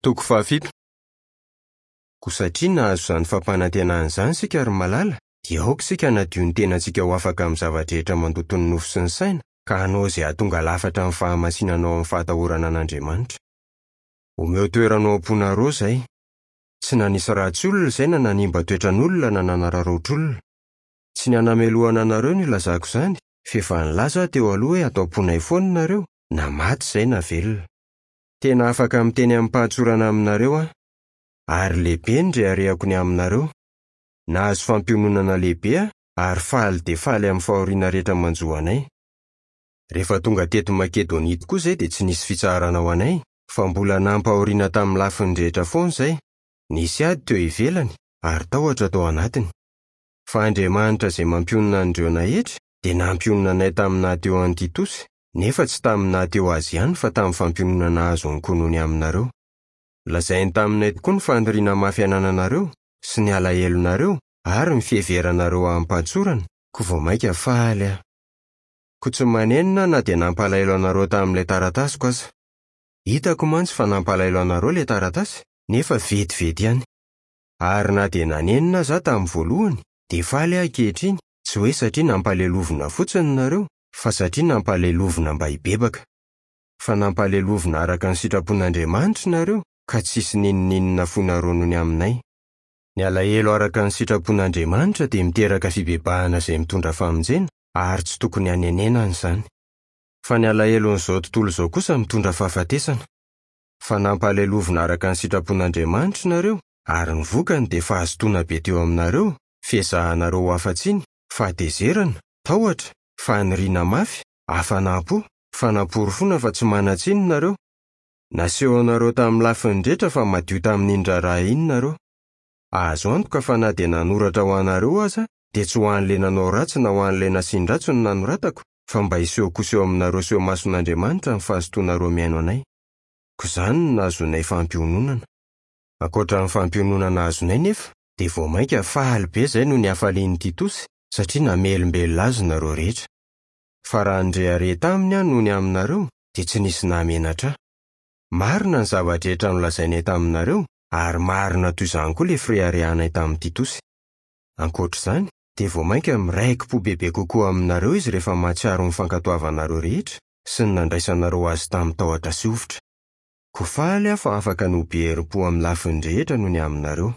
Toko fahafito. Koa satria nahazo izany fampanantenana izany isika ry malala, dia aoka isika hanadio ny tenantsika ho afaka amin'ny zava-drehetra mandoto ny nofo sy ny saina, ka hanao izay hahatonga lafatra ny fahamasinana ao amin'ny fahatahorana an'Andriamanitra. Omeo toerana ao am-ponareo izay. Tsy nanisy ratsy olona izay na nanimba toetran'olona na nanararaotr'olona. Tsy ny hanamelohana anareo no ilazako izany, f'efa nilaza aho teo aloha hoe ato am-ponay foana nareo, na maty izay na velona. Tena afaka miteny amim-pahatsorana aminareo aho. Ary lehibe ny reharehako ny aminareo. Nahazo fampiononana lehibe aho ary faly dia faly amin'ny fahoriana rehetra manjo anay. Rehefa tonga teto Makedonia tokoa izay dia tsy nisy fitsaharana ho anay, fa mbola nampahoriana tamin'ny lafiny rehetra foana izay, nisy ady teo ivelany ary tahotra tao anatiny. Fa Andriamanitra izay mampionona an'ireo naetry dia nampionona anay tamin'ny naha teo an'i Titosy, nefa tsy tamin'ny naha teo azy ihany fa tamin'ny fampiononana azony koa noho ny aminareo. Lazainy taminay tokoa ny faniriana mafy anananareo, sy ny alahelonareo, ary ny fiheveranareo amim-pahatsorana, koa vao mainka faly aho. Koa tsy manenina aho na dia nampalahelo anareo tamin'ilay taratasiko aza. Hitako mantsy fa nampalahelo anareo ilay taratasy, nefa vetivety ihany. Ary na dia nanenina aza aho tamin'ny voalohany, dia faly aho ankehitriny, tsy hoe satria nampalelovina fotsiny nareo, fa satria nampalelovina mba hibebaka. Fa nampalelovina araka ny sitrapon'Andriamanitra nareo, ka tsisy n'inon'inona fonareo noho ny aminay. Ny alahelo araka ny sitrapon'Andriamanitra dia miteraka fibebahana izay mitondra famonjena, ary tsy tokony hanenenana izany. Fa ny alahelon'izao tontolo izao kosa mitondra fahafatesana. Fa nampalelovina araka ny sitrapon'Andriamanitra nareo, ary ny vokany dia fahazotoana be teo aminareo, fiezahanareo ho afa-tsiny, fahatezerana, tahotra, faniriana mafy, hafanam-po, fanaporofoana fa tsy manan-tsiny nareo. Nasehonareo tamin'ny lafiny rehetra fa madio tamin'iny raharaha iny nareo. Azo antoka fa na dia nanoratra ho anareo aza dia tsy ho an'ilay nanao ratsy na ho an'ilay nasian-dratsy no nanoratako fa mba hiseho kosa eo aminareo sy eo imason'Andriamanitra ny fahazotoanareo mihaino anay. Koa izany no nahazoanay fampiononana. Ankoatra ny fampiononana azonay nefa dia vao mainka faly be izay noho ny hafalian'i Titosy satria namelombelona azy nareo rehetra. Fa raha nirehareha taminy aho noho ny aminareo dia tsy nisy nahamenatra ahy. Marina ny zava-drehetra nolazainay taminareo ary marina toy izany koa ilay fireharehanay tamin'i Titosy. Ankoatra izany, dia vao mainka miraiki-po bebe kokoa aminareo izy rehefa mahatsiaro ny fankatoavanareo rehetra sy ny nandraisanareo azy tamin'ny tahotra sy hovitra. Koa faly aho fa afaka ny ho be herim-po amin'ny lafiny rehetra noho ny aminareo.